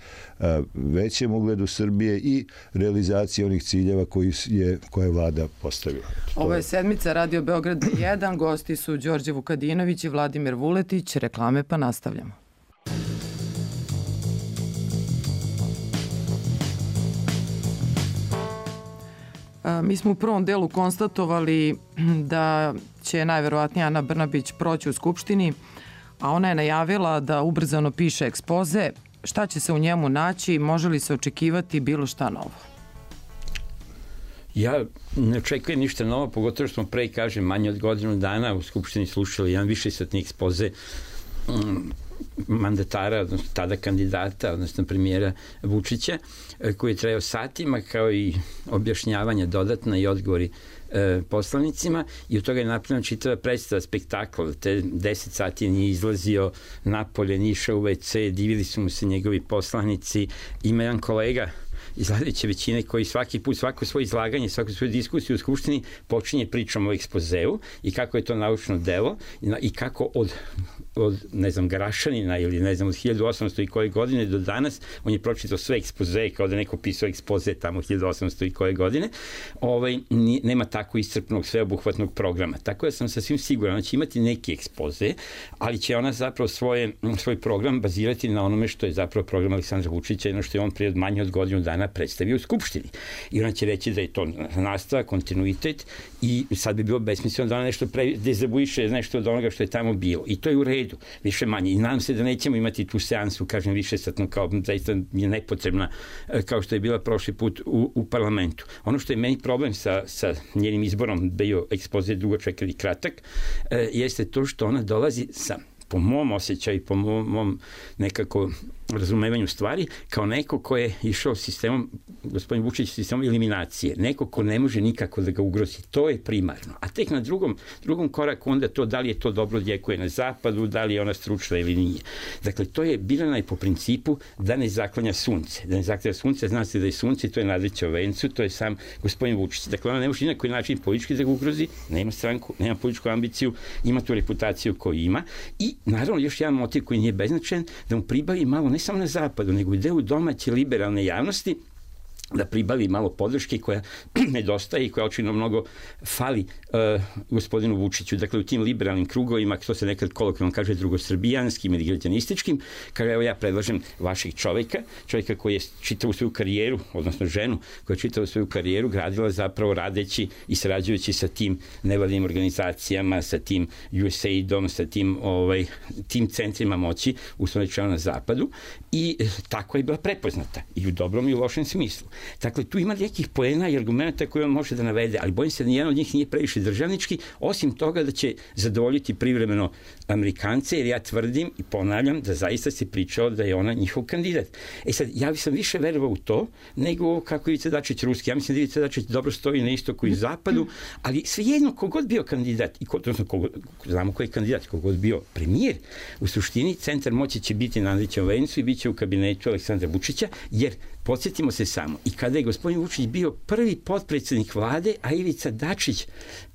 većem ugledu Srbije i realizaciji onih ciljeva koje je vlada postavila. Ovo je sedmica Radio Beograd 1, gosti su Đorđe Vukadinović i Vladimir Vuletić, reklame pa nastavljamo. Mi smo u prvom delu konstatovali da će najverovatnije Ana Brnabić proći u Skupštini, a ona je najavila da ubrzano piše ekspoze. Šta će se u njemu naći? Može li se očekivati bilo šta novo? Ja ne očekujem ništa novo, pogotovo što smo pre, kažem, manje od godinu dana u Skupštini slušali jedan višesatni ekspoze mandatara, odnosno tada kandidata, odnosno premijera Vučića, koji je trajao satima, kao i objašnjavanja dodatna i odgovori poslanicima, i od toga je napravljena čitava predstava, spektakl. Te 10 sati nije izlazio napolje, nije išao u WC, divili su mu se njegovi poslanici. Ima jedan kolega iz vladajuće većine koji svaki put, svako svoje izlaganje, svaku svoju diskusiju u Skupštini počinje pričom o ekspozeu i kako je to naučno delo i kako od ne znam, Garašanina ili ne znam, od 1800 i koje godine do danas, on je pročitao sve ekspoze, kao da neko pisao ekspoze tamo 1800 i koje godine, nema tako iscrpnog, sveobuhvatnog programa. Tako da sam sasvim siguran da će imati neki ekspoze, ali će ona zapravo svoj program bazirati na onome što je zapravo program Aleksandra Vučića, jedno što je on prije manje od godinu dana predstavio u Skupštini. I ona će reći da je to nastavak, kontinuitet, i sad bi bilo besmisleno da ona nešto dezavuiše nešto od onoga što je tamo bilo. I to je u redu, više manje. I nadam se da nećemo imati tu seansu, kažem, višesatno, kao zaista je nepotrebna, kao što je bila prošli put u parlamentu. Ono što je meni problem sa njenim izborom bio ekspoze dugoček ili kratak, jeste to što ona dolazi sa, po mom osjećaju, po mom nekako razumevanju stvari, kao neko ko je išao sistemom, gospodin Vučić, sistemom eliminacije. Neko ko ne može nikako da ga ugrozi. To je primarno. A tek na drugom koraku onda to, da li je to dobro djekuje na zapadu, da li je ona stručna ili nije. Dakle, to je birana i po principu da ne zaklanja sunce. Da ne zaklanja sunce, zna se da je sunce, to je nadleće o vencu, to je sam gospodin Vučić. Dakle, ona ne može ni na koji način politički da ga ugrozi, nema stranku, nema političku ambiciju, ima tu reputaciju koju ima, i naravno još jedan motiv koji nije beznačajan, da mu pribavi malo ne samo na zapadu, nego i deo domaće liberalne javnosti, da pribavi malo podrške koja nedostaje i koja očigledno mnogo fali gospodinu Vučiću. Dakle, u tim liberalnim krugovima, to se nekad kolokvijalno kaže drugosrbijanskim ili građanističkim, kada evo ja predlažem vaših čoveka koji je čitavu svoju karijeru, odnosno ženu koja je čitavu svoju karijeru gradila zapravo radeći i sarađujući sa tim nevladinim organizacijama, sa tim USAID-om, sa tim centrima moći u svom rečeno na zapadu, i tako je bila prepoznata i u dobrom i u lošem smislu. Dakle, tu ima nekih poena i argumenta koje on može da navede, ali bojim se da nijedan od njih nije previše državnički, osim toga da će zadovoljiti privremeno Amerikance, jer ja tvrdim i ponavljam da zaista se pričao da je ona njihov kandidat. Sad, ja sam više verovao u to nego kako Ivica Dačić ruski. Ja mislim da Ivica Dačić dobro stoji na istoku i zapadu, ali svejedno kogod bio kandidat, znamo ko je kandidat, kogod bio premijer, u suštini centar moći će biti na Andrićevom vencu i bit će u kabinetu Aleksandra Vučića, jer podsjetimo se samo, i kada je gospodin Vučić bio prvi potpredsednik vlade, a Ivica Dačić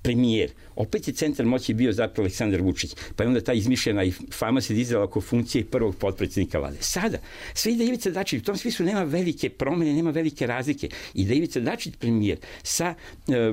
premijer, opet je centar moći bio zapravo Aleksandar Vučić, pa je onda ta izmišljena i fama se dizala oko funkcije prvog potpredsednika vlade. Sada, sve i da Ivica Dačić, u tom smislu nema velike promene, nema velike razlike, i da Ivica Dačić premijer sa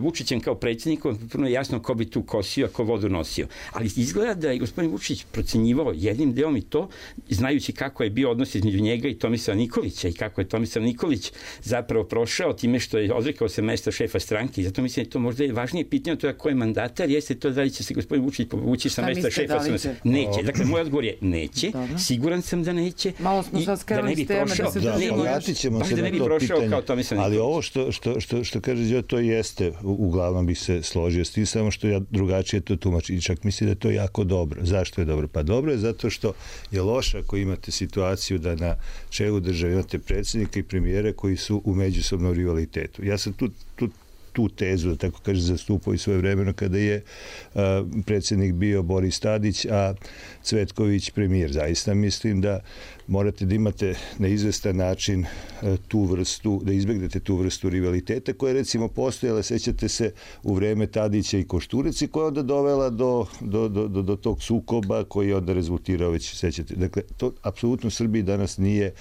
Vučićem kao predsjednikom, prvo je jasno ko bi tu kosio, ko vodu nosio. Ali izgleda da je gospodin Vučić procenjivao jednim delom i to, znajući kako je bio odnos između njega i Tomislava Nikolića i kako je Tomislav Nikolić zapravo prošao time što je odrekao se mesta šefa stranke. I zato mislim da je to možda je važnije pitanje, to je ko je mandatar, jeste to da li će se gospodin Vučić povući sa mesta šefa stranke. Neće. Dakle, moj odgovor je neće. Dobro. Siguran sam da neće. Malo smo sad skrenuli s teme da se držimo. Vratit ćemo se na to pitanje. Ali ovo što kaže Đo, to jeste, uglavnom bih se složio s tim, samo što ja drugačije to tumačim. Čak mislim da je to jako dobro. Zašto je dobro? Pa dobro je zato što je loše ako imate situaciju da na čelu države imate predsjednika i premijera koji su u međusobnom rivalitetu. Ja sam tu tezu, da tako kaže, zastupao i svoje vremeno kada je predsjednik bio Boris Tadić, a Cvetković premijer. Zaista mislim da morate da imate na izvestan način tu vrstu, da izbegnete tu vrstu rivaliteta koja je recimo postojala, sećate se, u vreme Tadića i Košturice, koja je onda dovela do tog sukoba koji je onda rezultirao, već sećate. Dakle, to apsolutno Srbiji danas nije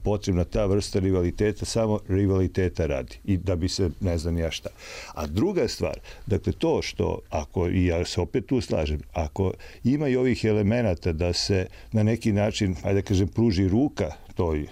potrebna ta vrsta rivaliteta, samo rivaliteta radi. I da bi se, ne znam ja šta. A druga stvar, dakle, to što, ako, i ja se opet tu slažem, ako ima i ovih elemenata da se na neki način, ajde da kažem, pruži ruka toj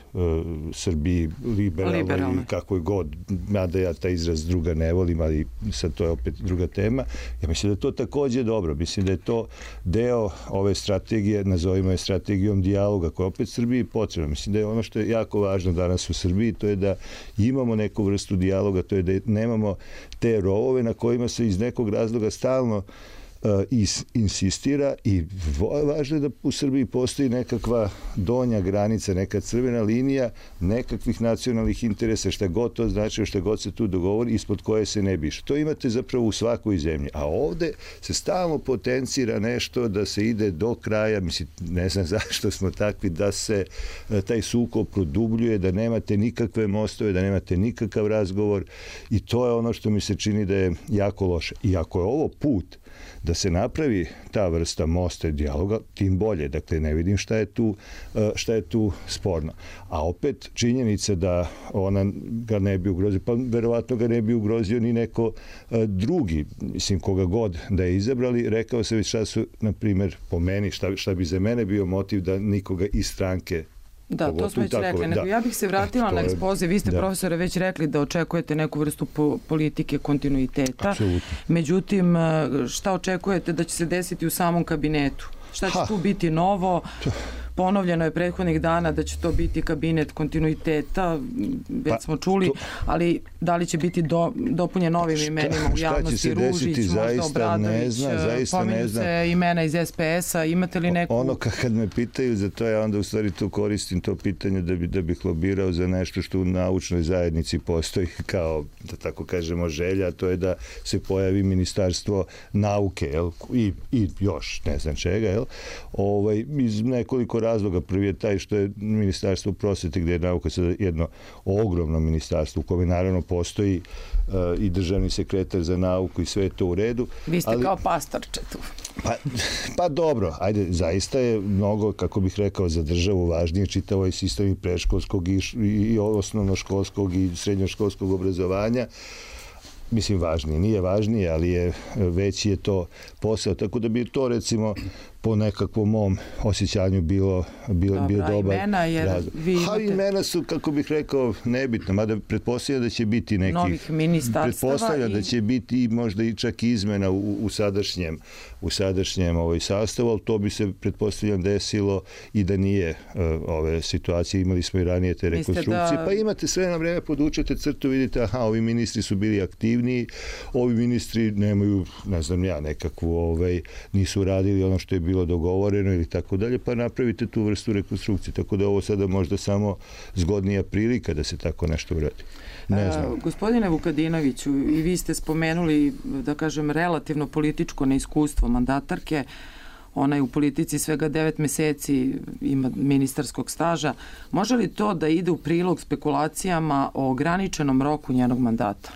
Srbiji liberalnoj, kakvoj god, mada ja taj izraz druga ne volim, ali sad to je opet druga tema. Ja mislim da je to takođe dobro. Mislim da je to deo ove strategije, nazovimo je strategijom dijaloga, koja opet Srbiji potrebna. Mislim da je ono što je jako važno danas u Srbiji, to je da imamo neku vrstu dijaloga, to je da nemamo te rovove na kojima se iz nekog razloga stalno insistira, i važno je da u Srbiji postoji nekakva donja granica, neka crvena linija nekakvih nacionalnih interesa, šta god to znači, šta god se tu dogovori, ispod koje se ne bi išlo. To imate zapravo u svakoj zemlji. A ovde se stalno potencira nešto da se ide do kraja, mislim, ne znam zašto smo takvi, da se taj sukob produbljuje, da nemate nikakve mostove, da nemate nikakav razgovor, i to je ono što mi se čini da je jako loše. I ako je ovo put da se napravi ta vrsta mosta i dijaloga, tim bolje. Dakle, ne vidim šta je tu sporno. A opet činjenica da ona ga ne bi ugrozio, pa verovatno ga ne bi ugrozio ni neko drugi, mislim, koga god da je izabrali. Rekao se već šta su, na primjer, po meni, šta bi za mene bio motiv da nikoga iz stranke. Da, to smo već rekli. Nego ja bih se vratila na ekspoze. Vi ste, profesore, već rekli da očekujete neku vrstu politike kontinuiteta. Apsolutno. Međutim, šta očekujete da će se desiti u samom kabinetu? Šta će tu biti novo? Ponovljeno je prethodnih dana da će to biti kabinet kontinuiteta, već smo čuli, ali da li će biti dopunjen novim imenima u javnosti, Ružić, možda Obradović, pominju se imena iz SPS-a, imate li neku... Ono kad me pitaju za to, ja onda u stvari to koristim, to pitanje da bih lobirao za nešto što u naučnoj zajednici postoji kao, da tako kažemo, želja, to je da se pojavi ministarstvo nauke, i još ne znam čega, iz nekoliko razloga. Prvi je taj što je ministarstvo prosvete, gde je nauka sada jedno ogromno ministarstvo u kome naravno postoji i državni sekretar za nauku i sve je to u redu. Vi ste kao pastorče tu. Pa dobro, ajde, zaista je mnogo, kako bih rekao, za državu važnije čitav ovaj sistem i predškolskog i osnovnoškolskog i srednjoškolskog obrazovanja. Mislim, važnije. Nije važnije, ali veći je to posao. Tako da bi to, recimo, po nekakvom mom osjećanju bio dobar razlog. Imena su, kako bih rekao, nebitno, mada pretpostavljam da će biti neki novih ministarstava. Pretpostavljam da će biti možda i čak izmena u sadašnjem sastavu, ali to bi se pretpostavljam desilo i da nije ove situacije. Imali smo i ranije te rekonstrukcije. Pa imate sve na vreme, podučete crtu, vidite, ovi ministri su bili aktivniji, ovi ministri nemaju, ne znam ja, nekakvu, nisu radili ono što je bilo dogovoreno ili tako dalje, pa napravite tu vrstu rekonstrukcije. Tako da ovo sada možda samo zgodnija prilika da se tako nešto uradi. Ne znam. Gospodine Vukadinoviću, i vi ste spomenuli, da kažem, relativno političko neiskustvo mandatarke. Ona je u politici svega 9 meseci, ima ministarskog staža. Može li to da ide u prilog spekulacijama o ograničenom roku njenog mandata?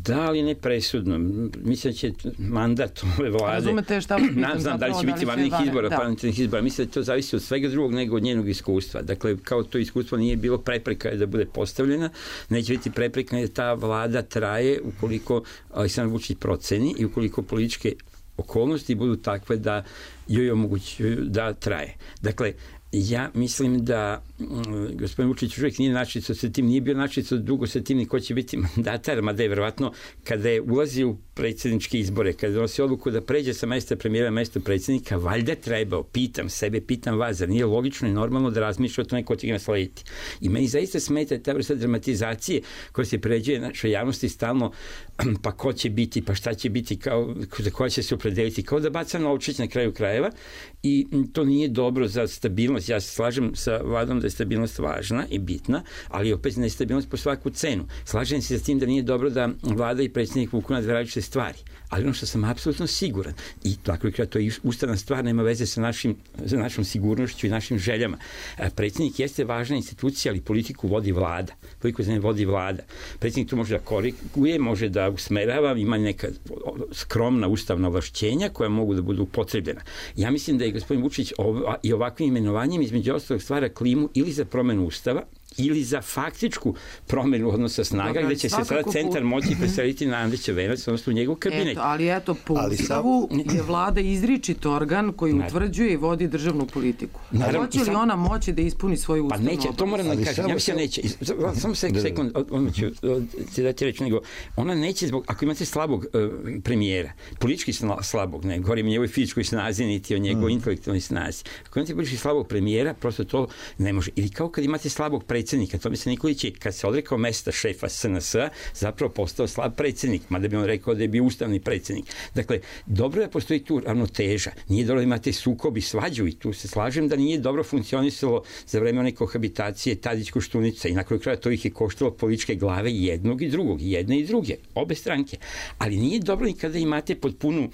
Da, ali ne presudno. Mislim da će mandat ove vlade... Razumete šta vas pitam? Znam da li će biti vanrednih izbora, parlamentarnih izbora. Mislim da to zavisi od svega drugog nego od njenog iskustva. Dakle, kao to iskustvo nije bilo prepreka da bude postavljena, neće biti prepreka da ta vlada traje ukoliko Aleksandar Vučić proceni i ukoliko političke okolnosti budu takve da joj omogućuju da traje. Dakle, ja mislim da gospodin Vučić uvijek nije načisto sa tim, nije bio načisto dugo sa tim ni ko će biti mandatar, mada je verovatno kada je ulazio u predsjedničke izbore, kada donosi odluku da pređe sa mesta premijera na mesto predsjednika, valjda trebao, pitam sebe, pitam vas, zar nije logično i normalno da razmišlja o tome ko će ga naslediti. I meni zaista smeta ta vrsta dramatizacije koja se pređuje našoj javnosti stalno, pa ko će biti, pa šta će biti, za koja će se opredeliti, kao da baca novčić na kraju krajeva, i to nije dobro za stabilnost. Ja se slažem sa vladom da je stabilnost važna i bitna, ali opet nestabilnost po svaku cenu. Slažem se sa tim da nije dobro da vlada i predsjednik vuku na dve različite stvari, ali ono što sam apsolutno siguran, i tako je to je ustavna stvar, nema veze sa našom sigurnošću i našim željama. Predsjednik jeste važna institucija, ali politiku vodi vlada. Politiku vodi vlada. Predsjednik tu može da koriguje, može da usmerava, ima neka skromna ustavna ovlašćenja koja mogu da budu upotrebljena. Ja mislim da je gospodin Vučić i ovakvim imenovanjem između ostalog stvara klimu ili za promenu ustava ili za faktičku promenu odnosa snaga, gde će se sada centar moći preseliti na Andrića Venac, odnosno u njegov kabinet. Eto, po ustavu je vlada izričit organ koji utvrđuje i vodi državnu politiku. Hoće li ona moći da ispuni svoju ustavnu obavezu? Pa neće, to moram da kažem. Ja mislim da neće. Samo sekund, odmah ću ti dati reći, nego ona neće zbog, ako imate slabog premijera, politički slabog, ne govorim o njegovoj fizičkoj snazi, niti o njegovoj intelektualnoj snazi. Ako imate politički slabog premijera, prosto to ne može. Ili kao kad imate slabog predsjednika, Tomislav Nikolić je, kad se odrekao mesta šefa SNS-a, zapravo postao slab predsjednik, mada bi on rekao da je bio ustavni predsjednik. Dakle, dobro je da postoji tu ravnoteža. Nije dobro da imate sukob i svađu, i tu se slažem da nije dobro funkcionisalo za vreme one kohabitacije Tadić-Koštunica, i na kraju kraja to ih je koštalo političke glave jednog i drugog, jedne i druge, obe stranke. Ali nije dobro ni kada imate potpunu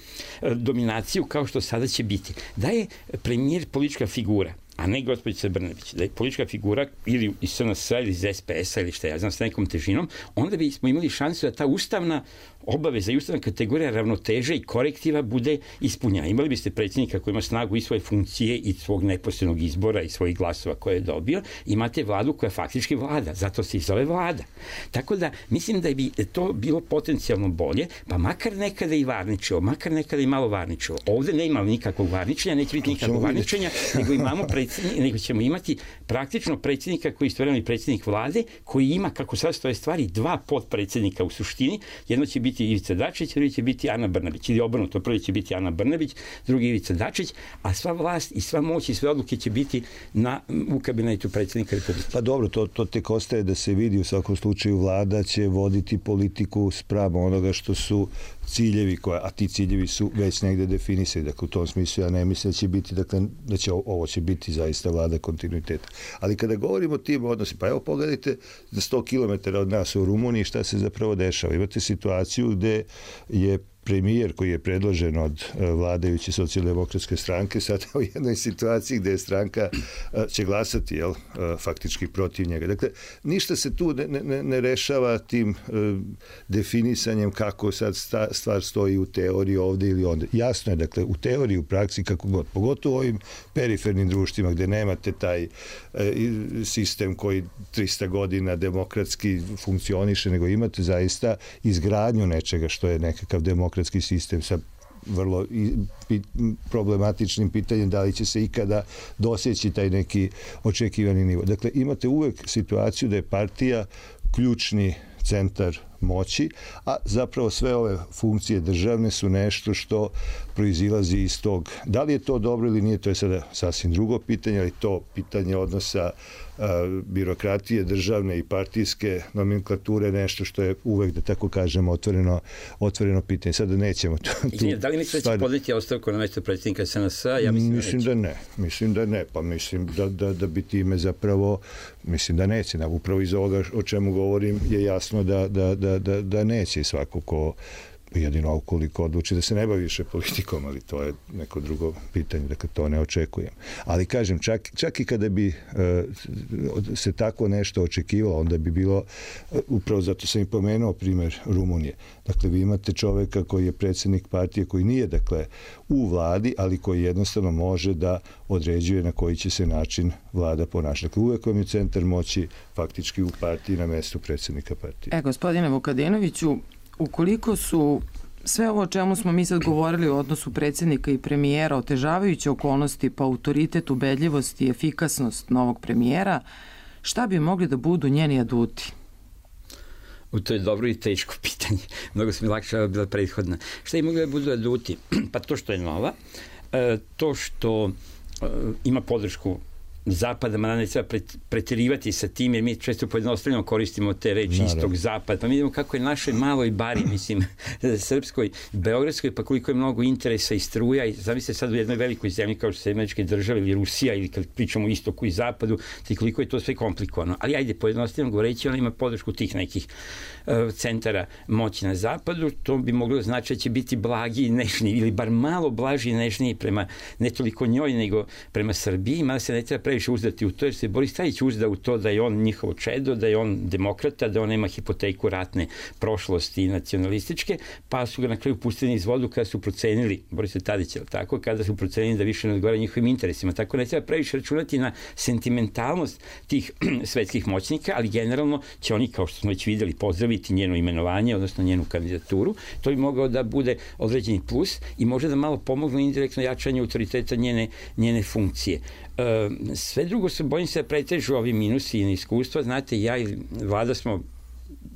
dominaciju kao što sada će biti. Da je premijer politička figura, a ne gospođica Brnabić, da je politička figura ili iz SNS-a ili iz SPS-a ili šta ja znam, s nekom težinom, onda bismo imali šansu da ta ustavna obaveza i ustavna kategorija ravnoteže i korektiva bude ispunjena. Imali biste predsjednika koji ima snagu i svoje funkcije i svog neposrednog izbora i svojih glasova koje je dobio, imate vladu koja faktički vlada, zato se i zove vlada. Tako da mislim da bi to bilo potencijalno bolje, pa makar nekada i varničilo, makar nekada i malo varničilo. Ovde ne ima nikakvog varničenja, neće biti nikakvog varničenja, nego ćemo imati praktično predsjednika koji je istovremeno i predsjednik vlade, koji ima, kako sad stoje stvari, dva potpredsjednika u suštini. Jedno će biti Ivica Dačić, drugi će biti Ana Brnabić, ili obrnuto, prvi će biti Ana Brnabić, drugi Ivica Dačić, a sva vlast i sva moć i sve odluke će biti u kabinetu predsjednika Republike. Pa dobro, to tek ostaje da se vidi. U svakom slučaju vlada će voditi politiku spravo onoga što su ciljevi, a ti ciljevi su već negde definisani. Dakle, u tom smislu ja ne mislim da će biti, dakle, da će ovo će biti zaista vlada kontinuiteta. Ali kada govorimo o tim odnosima, pa evo pogledajte za 100 km od nas u Rumuniji šta se zapravo dešava. Imate situaciju gde je premijer koji je predložen od vladajuće socijaldemokratske stranke sada u jednoj situaciji gde je stranka će glasati, faktički protiv njega. Dakle, ništa se tu ne rešava tim definisanjem kako sad stvar stoji u teoriji ovde ili onda. Jasno je, dakle, u teoriji, u praksi, kako god, pogotovo u ovim perifernim društvima gde nemate taj sistem koji 300 godina demokratski funkcioniše, nego imate zaista izgradnju nečega što je nekakav demokratski sistem sa vrlo problematičnim pitanjem da li će se ikada doseći taj neki očekivani nivo. Dakle, imate uvek situaciju da je partija ključni centar moći, a zapravo sve ove funkcije državne su nešto što proizilazi iz tog. Da li je to dobro ili nije, to je sada sasvim drugo pitanje, ali to pitanje odnosa birokratije državne i partijske nomenklature nešto što je uvek, da tako kažemo, otvoreno pitanje. Sada nećemo tu... Da li mislite da će podneti ostavku na mesto predsjednika SNS-a? Ja mislim da ne. Mislim da ne. Pa mislim da bi time zapravo... Mislim da neće. Upravo iz ovoga o čemu govorim je jasno da neće. I svako ko jedino ukoliko odluči da se ne bavi više politikom, ali to je neko drugo pitanje, dakle to ne očekujem. Ali kažem, čak i kada bi se tako nešto očekivalo, onda bi bilo, upravo zato sam i pomenuo primjer Rumunije. Dakle, vi imate čoveka koji je predsjednik partije, koji nije, dakle, u vladi, ali koji jednostavno može da određuje na koji će se način vlada ponašati. Dakle, uvek vam je centar moći faktički u partiji na mestu predsjednika partije. Gospodine Vukadinoviću, ukoliko su sve ovo o čemu smo mi sad govorili u odnosu predsjednika i premijera otežavajuće okolnosti pa autoritet, ubedljivost i efikasnost novog premijera, šta bi mogli da budu njeni aduti? To je dobro i teško pitanje. Mnogo su mi lakše bila prethodna. Šta bi mogli da budu aduti? Pa to što je nova, to što ima podršku Zapada, ma ne treba preterivati sa tim, jer mi često pojednostavljeno koristimo te reči istog Zapad. Pa mi vidimo kako je našoj maloj bari, mislim, srpskoj, beogradskoj, pa koliko je mnogo interesa i struja. I zamislite sad u jednoj velikoj zemlji kao što su Američke države ili Rusija, ili kad pričamo o istoku i zapadu, ti koliko je to sve komplikovano. Ali ajde, pojednostavljeno govoreći, ona ima podršku tih nekih centara moći na zapadu. To bi moglo znači da će biti blagi i nežniji, ili bar malo blaži i nežniji prema ne toliko njoj, nego prema Srbiji, mada se ne treba previše uzdati u to, jer se Boris Tadić uzda u to da je on njihovo čedo, da je on demokrata, da on nema hipoteku ratne prošlosti i nacionalističke, pa su ga na kraju pustili iz vodu kada su procenili, Boris Tadić, tako, kada su procenili da više ne odgovara njihovim interesima. Tako ne treba previše računati na sentimentalnost tih svetskih moćnika, ali generalno će oni, kao što smo već videli, pozdraviti njeno imenovanje, odnosno njenu kandidaturu. To bi mogao da bude određeni plus i može da malo pomogne indirektno jačanje autoriteta njene funkcije. Sve drugo se bojim se da pretežu ovi minusi i neiskustva. Znate, ja i Vlada smo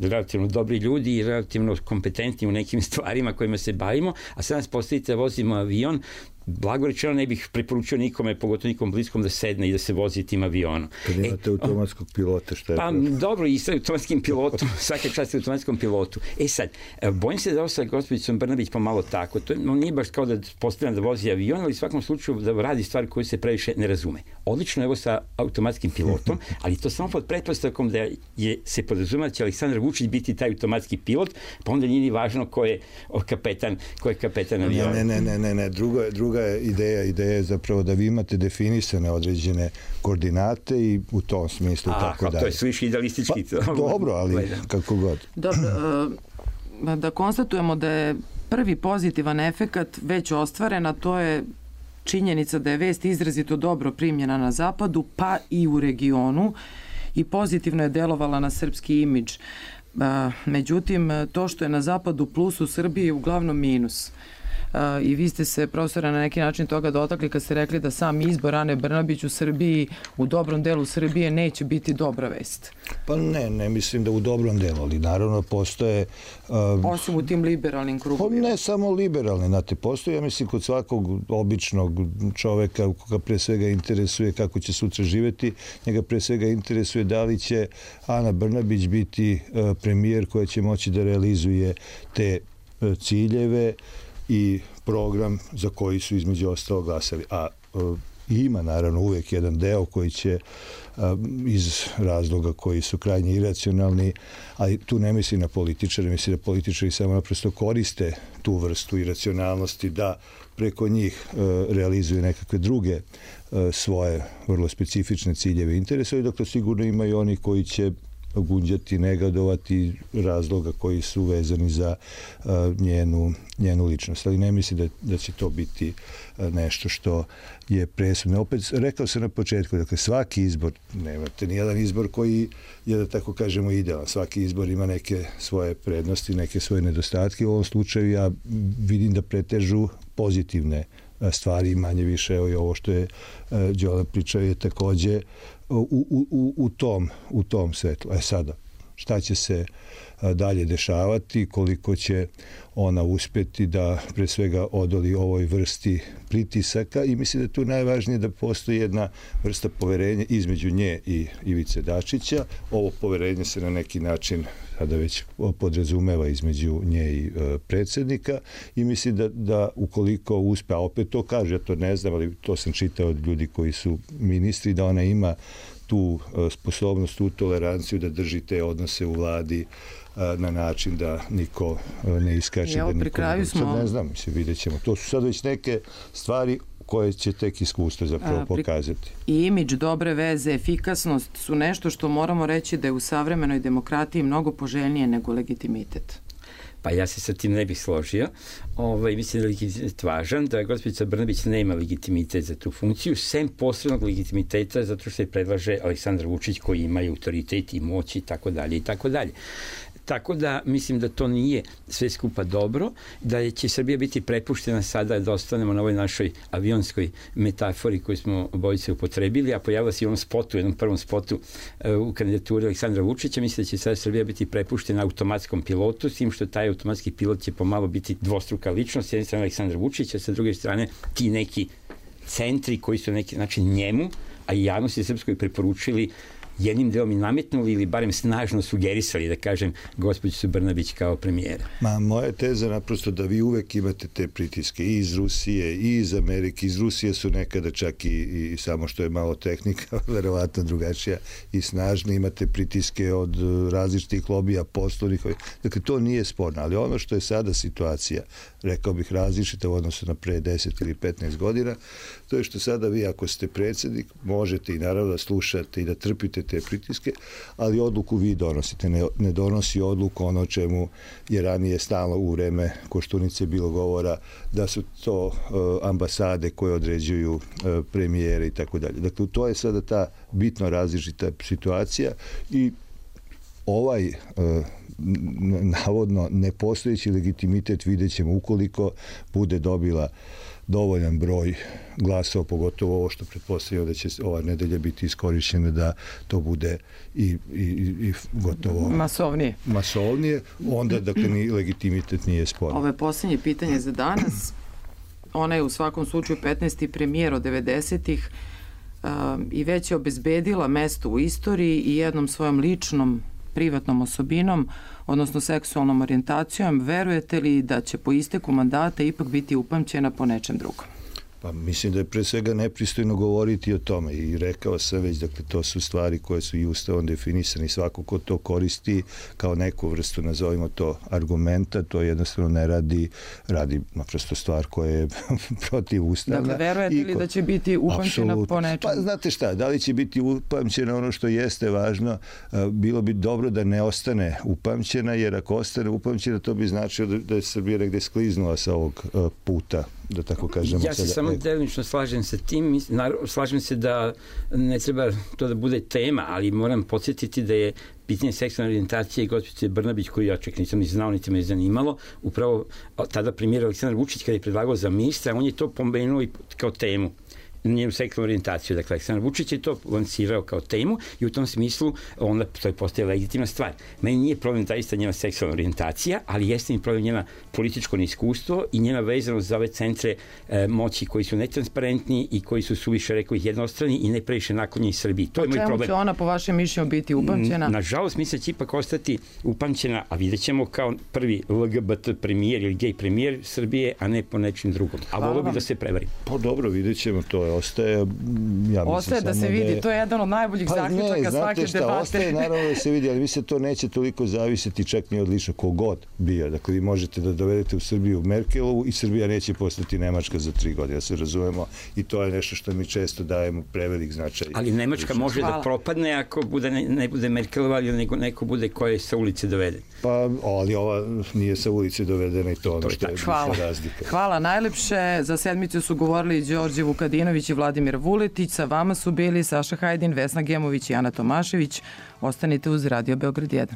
relativno dobri ljudi i relativno kompetentni u nekim stvarima kojima se bavimo, a sad nas postavite da vozimo avion, blago rečeno ne bih preporučio nikome, pogotovo nikom bliskom, da sedne i da se vozi tim avionom. Kad imate automatskog pilota, šta je pa, dobro, i sa automatskim pilotom, svaka čast automatskom pilotu. Sad, bojim se da ovo sa gospođicom Brnabić pomalo tako. To nije baš kao da postavljam da vozi avion, ali u svakom slučaju da radi stvari koje se previše ne razume. Odlično je ovo sa automatskim pilotom, ali to samo pod pretpostavkom da se podrazumeva da će Aleksandar Vučić biti taj automatski pilot, pa onda nije ni važno ko je kapetan aviona. Ne, druga je ideja je zapravo da vi imate definisane određene koordinate i u tom smislu tako dalje. To je sviše idealistički. Pa, dobro, ali kako god. Dobro, da konstatujemo da je prvi pozitivan efekat već ostvaren, a to je činjenica da je vest izrazito dobro primljena na zapadu, pa i u regionu, i pozitivno je delovala na srpski imidž. Međutim, to što je na zapadu plus, u Srbiji je uglavnom minus. I vi ste se, profesore, na neki način toga dotakli kad ste rekli da sam izbor Ane Brnabić u Srbiji, u dobrom delu Srbije, neće biti dobra vest. Pa ne mislim da u dobrom delu, ali naravno postoje... Osim u tim liberalnim krugovima. Pa ne samo liberalni, znate, postoje, ja mislim, kod svakog običnog čoveka koga pre svega interesuje kako će sutra živeti, njega pre svega interesuje da li će Ana Brnabić biti premijer koja će moći da realizuje te ciljeve i program za koji su između ostalo glasali. A ima naravno uvijek jedan deo koji će iz razloga koji su krajnje iracionalni, ali tu ne misli na političare, misli da političari samo naprosto koriste tu vrstu iracionalnosti da preko njih realizuju nekakve druge svoje vrlo specifične ciljeve i interese, i dakle sigurno imaju oni koji će gunđati, negodovati razloga koji su vezani za njenu ličnost. Ali ne mislim da će to biti nešto što je presudno. Opet, rekao sam na početku, dakle, svaki izbor, nemate nijedan izbor koji je, da tako kažemo, idealan. Svaki izbor ima neke svoje prednosti, neke svoje nedostatke. U ovom slučaju ja vidim da pretežu pozitivne stvari, manje više, evo i ovo što je Đole pričao je takođe u tom svetlu. Sada, šta će se dalje dešavati, koliko će ona uspeti da pre svega odoli ovoj vrsti pritisaka, i mislim da je tu najvažnije da postoji jedna vrsta poverenja između nje i Ivice Dačića. Ovo poverenje se na neki način sada već podrazumeva između nje i predsjednika, i mislim da ukoliko uspe, a opet to kaže, ja to ne znam, ali to sam čitao od ljudi koji su ministri, da ona ima tu sposobnost, tu toleranciju da drži te odnose u vladi na način da niko ne iskače. Evo, pri kraju smo... Sad ne znam, vidjet ćemo. To su sad već neke stvari koje će tek iskustvo zapravo pokazati. I imidž, dobre veze, efikasnost su nešto što moramo reći da je u savremenoj demokratiji mnogo poželjnije nego legitimitet. Pa ja se sa tim ne bih složio. Mislim da je legitimitet važan, da gospođica Brnabić nema legitimitet za tu funkciju, sem posrednog legitimiteta zato što se predlaže Aleksandar Vučić koji ima autoritet i moć i tako dalje i tako dalje. Tako da mislim da to nije sve skupa dobro, da će Srbija biti prepuštena sada da ostanemo na ovoj našoj avionskoj metafori koju smo obojice upotrebili, a pojavila se i u onom spotu, jednom prvom spotu u kandidaturi Aleksandra Vučića. Mislim da će sada Srbija biti prepuštena automatskom pilotu, s tim što taj automatski pilot će pomalo biti dvostruka ličnost, s jedne strane Aleksandra Vučića, sa druge strane ti neki centri koji su na neki način njemu, a i javnosti srpskoj preporučili, jednim delom i nametnuli ili barem snažno sugerisali, da kažem, gospođicu Brnabić kao premijera. Moja teza je naprosto da vi uvek imate te pritiske i iz Rusije i iz Amerike. Iz Rusije su nekada čak i samo što je malo tehnika verovatno drugačija i snažna. Imate pritiske od različitih lobija, poslovnih. Dakle, to nije sporno, ali ono što je sada situacija, rekao bih različita u odnosu na pre 10 ili 15 godina, to je što sada vi, ako ste predsjednik, možete i naravno da slušate i da trpite te pritiske, ali odluku vi donosite. Ne donosi odluku ono o čemu je ranije stalno u vreme Koštunice bilo govora, da su to ambasade koje određuju premijere i tako dalje. Dakle, to je sada ta bitno različita situacija, i ovaj navodno nepostojeći legitimitet vidjet ćemo ukoliko bude dobila dovoljan broj glasova, pogotovo ovo što pretpostavljamo da će ova nedelja biti iskorišćena da to bude i gotovo masovnije, onda dakle ni legitimitet nije sporan. Ovo je posljednje pitanje za danas. Ona je u svakom slučaju 15. premijer od 90-ih i već je obezbedila mesto u istoriji i jednom svojom ličnom privatnom osobinom, odnosno seksualnom orijentacijom. Verujete li da će po isteku mandata ipak biti upamćena po nečem drugom? Pa mislim da je pre svega nepristojno govoriti o tome, i rekao sam već, dakle, to su stvari koje su i ustavom definisane, i svako ko to koristi kao neku vrstu, nazovimo to, argumenta, to jednostavno ne radi naprosto stvar koja je protiv ustavna. Dakle, verujete li da će biti upamćena po nečem? Pa znate šta, da li će biti upamćena, ono što jeste važno, bilo bi dobro da ne ostane upamćena, jer ako ostane upamćena, to bi značilo da je Srbija negde skliznula sa ovog puta, da tako kažemo. Ja se samo delimično slažem sa tim. Slažem se da ne treba to da bude tema, ali moram podsjetiti da je pitanje seksualne orijentacije i gospođice Brnabić, koju ja čak nisam ni znao, niti me zanimalo, upravo tada premijer Aleksandar Vučić kada je predlagao za ministra, on je to pomenuo i kao temu, njenu seksualnu orijentaciju. Dakle, Aleksandar Vučić je to lansirao kao temu i u tom smislu onda to je postaje legitimna stvar. Meni nije problem zaista njena seksualna orijentacija, ali jeste mi problem njena političko neiskustvo i njena vezanost za ove centre moći koji su netransparentni i koji su suviše, rekao ih, jednostrani i ne previše naklonjeni Srbiji. To je moj problem. Čemu će ona po vašem mišljenju biti upamćena? Nažalost, mislim da će ipak ostati upamćena, a vidjet ćemo kao prvi LGBT premijer ili gej premijer Srbije, a ne po nečim drugom. A volio bi da se prevarim. Pa dobro, vidjet ćemo to. ostaje. Ja ostaje da se vidi, to je jedan od najboljih zaključaka svake debate. Ostaje naravno da se vidi, ali mislim to neće toliko zavisiti čak ni od lično kogod bio. Dakle, vi možete da dovedete u Srbiju Merkelovu i Srbija neće postati Nemačka za 3 godine, da se razumemo, i to je nešto što mi često dajemo prevelik značaj. Ali Nemačka može da propadne ako ne bude Merkelova, ili neko bude koje sa ulice dovede. Pa, ali ova nije sa ulice dovedena i to ono što je razlika. Hvala najlepše. Za sedmicu su govorili Đorđe Vukadinović i Vladimir Vuletić. Sa vama su bili Saša Hajdin, Vesna Gemović i Ana Tomašević. Ostanite uz Radio Beograd 1.